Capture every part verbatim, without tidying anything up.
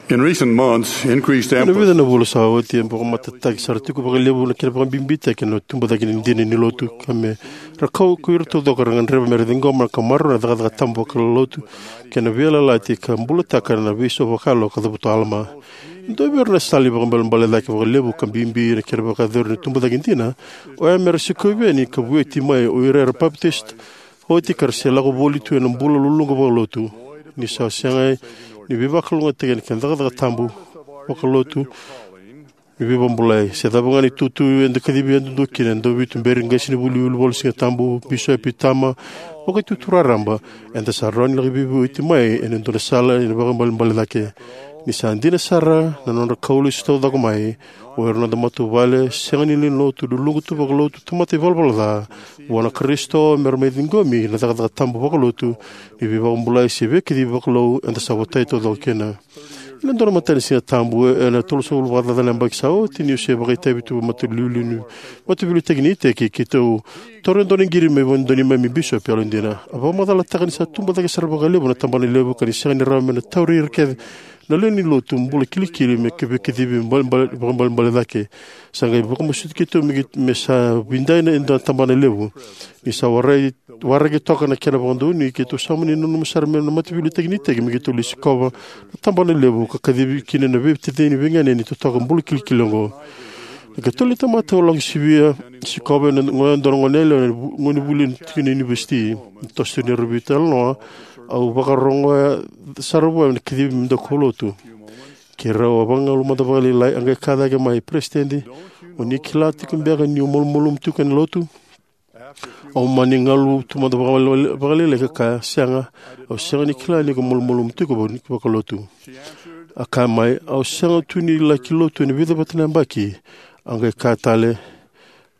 In recent months, increased Ena emphasis vica na vula sa oti, e vakamatatataki sara tiko vakalevu na kena vakabibitaki na tubucake ni dina ni lotu, ka me ra kau ko ira taucoko era gadreva me ra ciqoma ka maroroya na cakacaka tabu vakalotu kei na veiyalayalati ka bulataka na veisau vakayalo ka cavuta o Alama. E dua vei ira na sala ni vakaibalebale cake vakalevu ka bibi na kena vakayacori na tubucake dina, oya me ra sikovi yani ka vueti mai o ira era papitaiso oti ka ra se lako voli tu ena bula luluqa vakalotu, ni sa sega ni veivakalougatataki ena kena cakacaka tabu vakalotu ni veivakabulai. Se cava ga na itutu eda kacivi yadudua kina, e dua vei tuberi, qasenivuli, wilivola ni Sigatabu, bisopi, tama, vakaitutu raraba, eda sa rawa ni laki veivueti mai ena dua na sala ni vakaibalebale cake. Ni sa dina sara na nodra kau lesu taucoko mai, o ira na noda matavuvale sega ni lewe ni lotu, luluqa tu vakalotu, tamata ivalavala ca vua na Karisito, me ra mai ciqomi na cakacaka tabu vakalotu ni veivakabulai se veikacivi vakalou eda sa votai taucoko kina. Ena dua na matanisiga tabu ena tolusagavulu vakacaca na yabaki sa oti, niu se vakaitavi tu vua na mataivakalotutaki ni iteki, keitou taura e dua na qiri mai vua e dua na neimami bisopi yalodina. A vakamacalataka ni sa tubu cake sara vakalevu na tabanalevu ka ni sega ni rawa me na tauri ira kece na lewe ni lotu bula kilikili me veikacivi vakaibalebale cake. Sa qai vakamasuti keitou me, me sa vidai na dua na tabanalevu. Ni sa warai waraki toka na kena vakadonui, keitou sa mani nanuma sara mai na mataivakalotutaki ni iteki me keitou lai sikova na tabanalevu ka kacivi kina na veitacini veiganeni totoka bula kilikili oqo. Na ikatolu ni tamata au lako sivia, sikova ena gauna e dua na goneyalewa ena vu-, gonevuli tiko na univesiti. Ni toso tu ni rairai veitalanoa, au vakarogoya sara vua na kacivi me daukaulotu. Keirau a vakagalu mada vakalailai, a qai kaya cake mai, "Peresitedi, o ni kila tiko beka niu malumalumu tiko ena lotu?" Au mani galu tu mada vakalailai, vakalailai ka kaya, "Sega, au sega ni kila ni ko malumalumu tiko vaka-, vakalotu." A kaya mai, "Au sega tu ni laki lotu ena vica vata na yabaki." A qai kaya tale,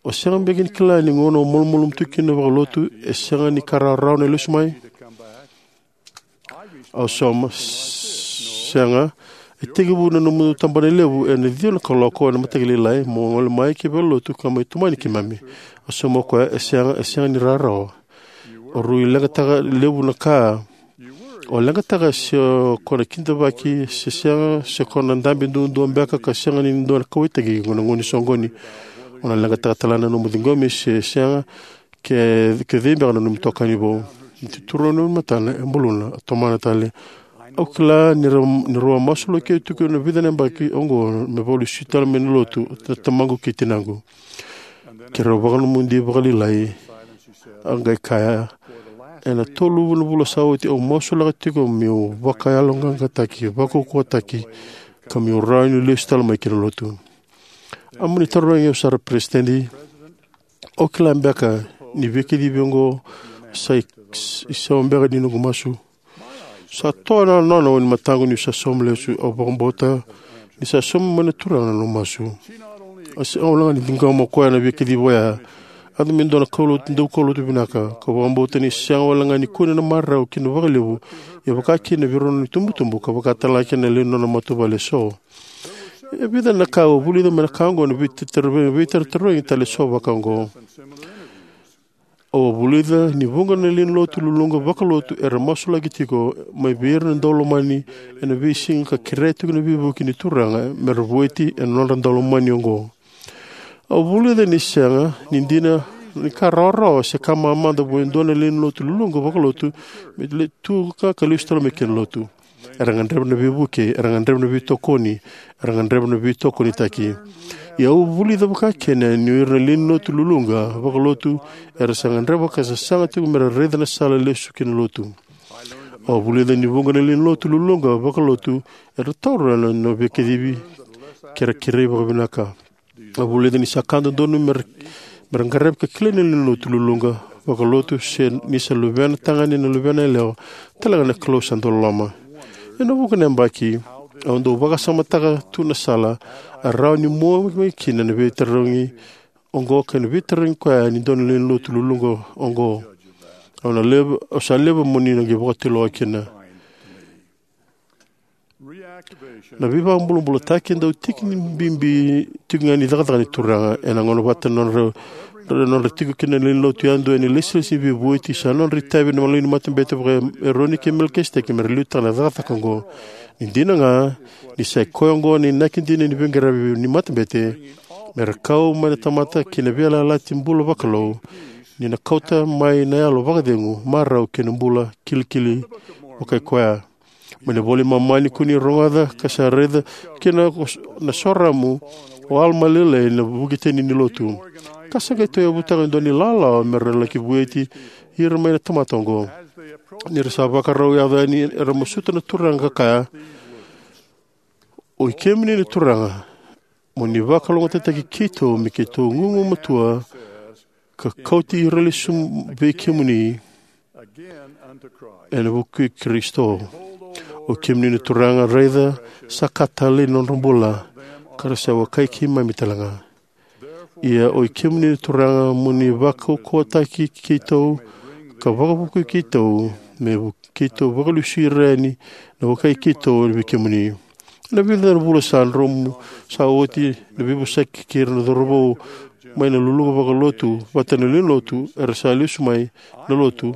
"O sega beka ni kila ni gauna o malumalumu tiko kina vakalotu, e sega ni ka rawarawa na lesu mai?" Au sauma, "Sega, e tekivu na nomu tabanalevu ena ciwa na kaloko ena mataka lailai, mo gole mai ki valenilotu ka mai tomani keimami." Au sauma o koya, "E sega, e sega ni rawarawa. O rui leqataka levu na ka. O leqataka se o ko na kidavaki se sega, se ko na dabe duadua beka ka sega ni dua na kauwaitaki ena gauna ni soqoni. O na leqataka tale na nomu ciqomi se sega, ke, ke cei beka na nomu itokani vou." Ni tuturu na nomu matana, e buluna, a tomana tale, "Au kila ni ra, ni rau a masulaki au tiko ena vica na yabaki oqo me vakalesui tale mai na lotu na tamaqu kei tinaqu." Keirau vakanomodi vakalailai, a qai kaya, "Ena tolu na vula sa oti au masulaka tiko meu vakayaloqaqataki, vakaukauwataki, ka meu rawa ni lesu tale mai ki na lotu." A mani tarogi au sara, "Peresitedi, o kila beka ni veikacivi oqo sa i-, isau beka ni noqu masu?" Sa toa na nona ni mataqu niu sa sauma lesu. Au vakabauta ni sa sauma mai na Turaga na noqu masu. A sega walega ni ciqoma o koya na veikacivi oya, a yaco me dua na kaulotu, daukaulotu vinaka. Kau vakabauta ni sega walega ni kune na marau kina vakalevu, ia vaka kina vei rau na itubutubu, ka vaka talega kina na lewe ni nona matavuvale eso. E vica na ka au a vulica mai na ka oqo, na veitara-, veitarotarogi tale eso vaka oqo. Au a vulica ni vuqa na lewe ni lotu luluqa vakalotu era masulaki tiko mai vei ira na daulomani ena veisiga ka kerea tiko na veivuke ni Turaga me ra vueti ena nodra daulomani oqo. Au vulica ni sega ni dina ni ka rawarawa se ka mamada vua e dua na lewe ni lotu luluqa vakalotu me le-, tu ka, ka lesu tale mai ki na lotu. Era gadreva na veivuke, era gadreva na veitokoni, era gadreva na veitokonitaki. Ia au vulica vaka kina ni o ira na lewe ni lotu luluqa vakalotu era sa gadreva ka sasaga tiko me ra raica na sala lesu ki na lotu. Au vulica ni vuqa na lewe ni lotu luluqa vakalotu era taura na, na veikacivi ke ra kerei vakavinaka. Au vulica ni sa ka dodonu me ra, me ra qaravi ka kilai na lewe ni lotu luluqa vakalotu se ni sa luvena tagane, na luvena yalewa, talega na Kalou sa dau loloma. Ena vuqa na yabaki au dau vakasamataka tu na sala e rawa ni mua mai kina na veitarogi oqo kei na veitarogi koya ni dua na lewe ni lotu luluqa oqo. Au na levu, au sa levu mo ni na qai vakatulewa kina. Na veivakabulabulataki e dau tiki ni bibi tiko ga ni cakacaka ni Turaga. Ena gauna vata na nodra Nodra tiko kina na lewe ni lotu yadua ena ilesilesi ni veivueti, sa nodra itavi na lewe ni matabete vaka-Eroni kei Melikiseteki me ra liutaka na cakacaka oqo. Ni dina ga, ni sa i koya oqo na inaki dina ni veiqaravi ni matabete, me ra kau mai na tamata ki na veiyalayalati bula vakalou, ni na kauta mai na yalo vakacegu, marau kei na bula kilikili vakaikoya. Mai na iVola i Momani ko ni rogoca ka sa raica kina na soramu o Alama lailai na vukitani ni lotu. Ka sa qai tauyavutaka e dua na ilawalawa me ra laki vueti ira mai na tamata oqo. Ni ra sa vakarau yaco yani, era masuta na Turaga ka kaya, "Oi kemuni na Turaga, mo ni vakalougatataki keitou me keitou gugumatua ka kauti ira lesu vei kemuni ena vuku i Karisito. O kemuni na Turaga, raica, sa ka talei na nodra bula, ka ra sa wekai keimami talega. Ia oi kemuni na Turaga, mo ni vakaukauwataki keitou, ka vakavukui keitou, me vu- keitou vakalesui ira yani na wekai keitou vei kemuni." Ena vica na vula sa dromu sa oti, na veivosaki kei ira na cauravou mai na luluqa vakalotu vata na lewe ni lotu era sa lesu mai na lotu.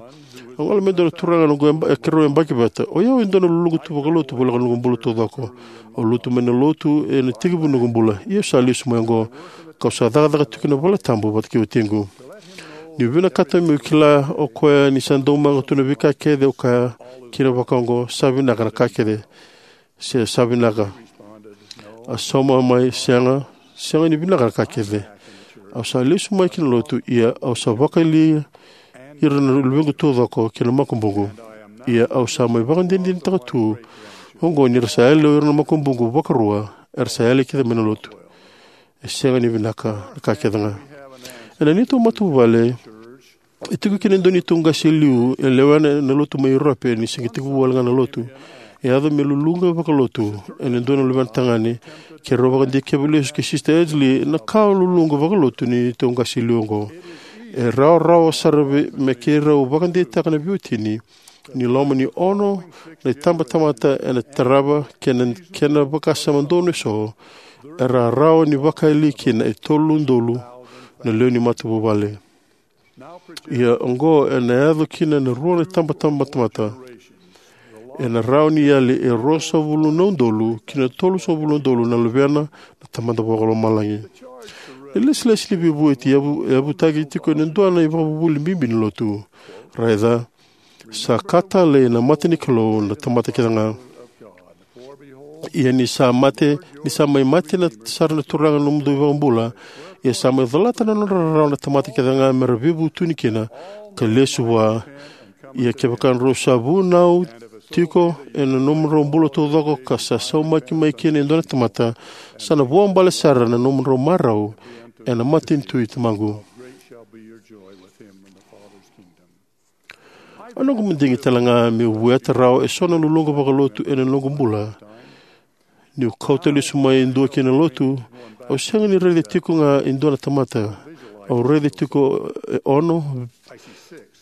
A gole mai e dua na turaga noqu yaba- keirau yabaki vata. "O yau e dua na luluqa tu vakalotu voleka na noqu bula taucoko. Au lotu mai na lotu ena itekivu ni noqu bula. Ia au sa lesu mai oqo, kau sa cakacaka tiko ena valetabu vata kei watiqu." Niu vinakata meu kila o koya ni sa daumaka tu na veika kece, au kaya kina vakaoqo, "Sa vinaka na ka kece," se "Sa vinaka." A sauma mai, "Sega, sega ni vinaka na ka kece. Au sa lesu mai ki na lotu, ia au sa vakayali ira na luvequ taucoko kei na makubuqu. Ia au sa mai vakadinadinataka tu oqo ni ra sa yali o ira na makubuqu vakarua, era sa yali kece mai na lotu. E sega ni vinaka na ka kece ga." Ena neitou matavuvale, e tiko kina e dua neitou qase e liu e lewena na lotu mai Europe, ni se qai tekivu wale ga na lotu. E yaco me luluqa vakalotu ena dua na luvena tagane. Keirau vakadikeva lesu kei Sister Edgley na ka luluqa vakalotu ni neitou qase e liu oqo. E rawarawa sara vei- me keirau vakadeitaka na veiwatini ni loma ni ono na itabatamata ena tarava kei na kena vakasama donu eso, era rawa ni vakayali kina e tolu na udolu na lewe ni matavuvale. Ia oqo ena yaco kina na rua na itabatamata. Ena rawa ni yali e ruasagavulu na udolu ki na tolusagavulu na udolu na luvena na Tamada Vakalomalagi. Na ilesilesi ni veivueti e yavu- e yavutaki tiko ena dua na ivakavuvuli bibi ni lotu. Raica, sa ka talei na mata ni Kalou na tamata kece ga. Ia ni sa mate, ni sa mai mate na sara na Turaga na nomudou iVakabula, ia sa mai colata na nodra rarawa na tamata kece ga me ra veivutuni kina ka lesu vua. Ia kevaka drau sa vunau tiko ena nomudrau bula taucoko ka sa saumaki mai kina e dua na tamata, sa na vuabale sara na nomudrau marau ena matanitu i Tamaqu. A noqu madigi tale ga meu vueta rawa eso na luluqa vakalotu ena noqu bula. Niu kauta lesu mai e dua ki na lotu, au sega ni raica tiko ga e dua na tamata. Au raica tiko e ono,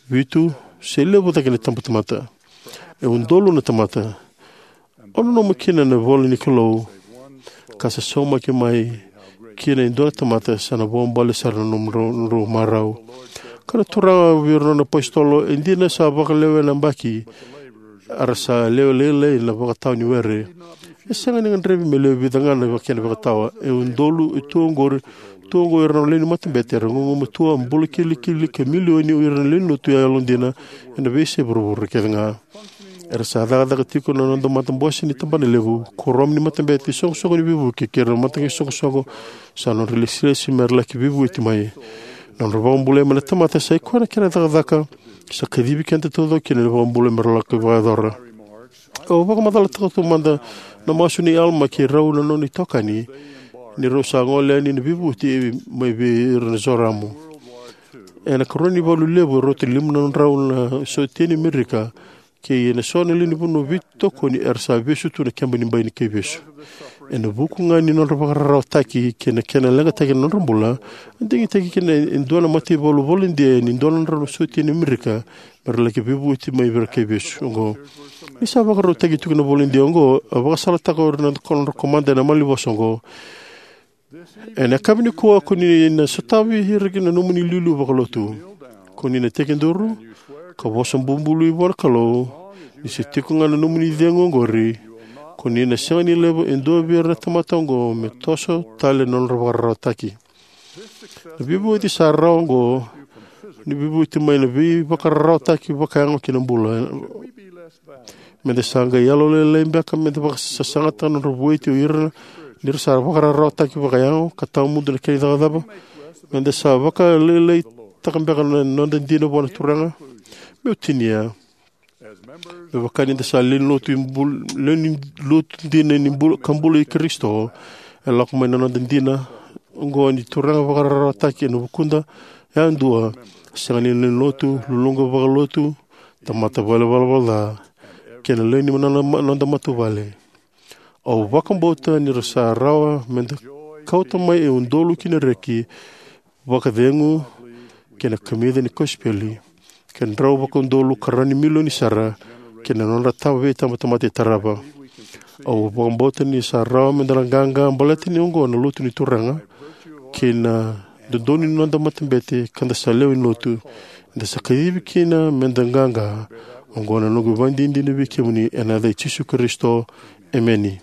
vitu, se levu cake na itabatamata. E udolu na tamata. Au nanuma kina na ivola ni Kalou, ka sa saumaki mai kina e dua na tamata sa na vuabale sara na nomudrau marau. Ka na Turaga vei ira na nona apositolo, e dina sa vakalewena na yabaki, a ra sa lewe lailai na vakatawa ni were. E sega ni gadrevi me lewe vica ga na kena vakatawa. E udolu e tu oqori, tu oqo ira na lewe ni matabete era gugumatua, bula kilikili ka milioni o ira na lewe ni lotu yalodina ena veiyasai vuravura kece ga. Era sa cakacaka tiko na noda matabose ni tabanalevu, kuoramu ni matabete, isoqosoqo ni veivuke kei ira na mataqali isoqosoqo. Sa nodra ilesilesi me ra laki veivueti mai. Na nodra vakabulai mai na tamata sa i koya na kena cakacaka sa kacivi keda taucoko kina na iVakabula me ra laki vakayacora. Au vakamacalataka taumada na masu nei Alama kei rau na nona itokani ni rau sa gole yani na veivueti mai vei ira na Zoramu. Ena ikarua ni valu levu e rauta ni lima na drau na sotia ni Amerika, kei na so na lewe ni vanua veitokoni era sa vesu tu na keba ni bai ni kaivesu. Ena vuku ga ni nodra vakararawataki kei na kena leqataki na nodra bula, a digitaki kina e dua na mataivalu volodia ni dua na drau na sotia ni Amerika me ra laki veivueti mai vei ira na kaivesu oqo. Ni sa vakarautaki tiko na volodia oqo, a vakasalataka o ira na ko- nodra komada ena malanivosa oqo. Ena yakavi nikua, ko ni na sotavi ira na nomuni iliuliu vakalotu. Ko ni na tekiduru ka vosa bubului vua na Kalou, ni se tiko ga na nomuni icegu oqori, ko ni na sega ni laiva e dua vei ira na tamata oqo me toso tale na nodra vakararawataki. Na veivauci sa rawa oqo ni veivauci mai na veivakararawataki vakayago ki na bula. Meda sa qai yalolailai beka meda vakasasagata na nodra vueti o ira ni ra sa vakararawataki vakayago ka tawamudu na kena icavacava? Meda sa vakalailaitaka beka na noda dina vua na Turaga? Meu tinia, me vaka ni da sa lewe ni lotu, bul- lewe ni lotu dina ni bul- ka bula i Karisito, e lako mai na noda dina oqo ni Turaga vakararawataki ena vukuda yadua. Sega ni lewe ni lotu, luluqa vakalotu, tamata vale valavala ca, kei na lewe ni noda, noda matavuvale. Au vakabauta ni ra sa rawa meda kauta mai e udolu ki na reki vakacegu kei na kamica ni kosipeli, ke drau vakaudolu ka rawa ni milioni sara, kei na nodra tama veitabatamata e tarava. Au vakabauta ni sa rawa meda na qaqa baleta ni oqo na lotu ni Turaga, kei na dodonu ni noda matabete ka da sa lewe ni lotu, eda sa kacivi kina meda qaqa. Oqo na noqu ivakadinadina vei kemuni ena yaca i Jisu Karisito. Emeni.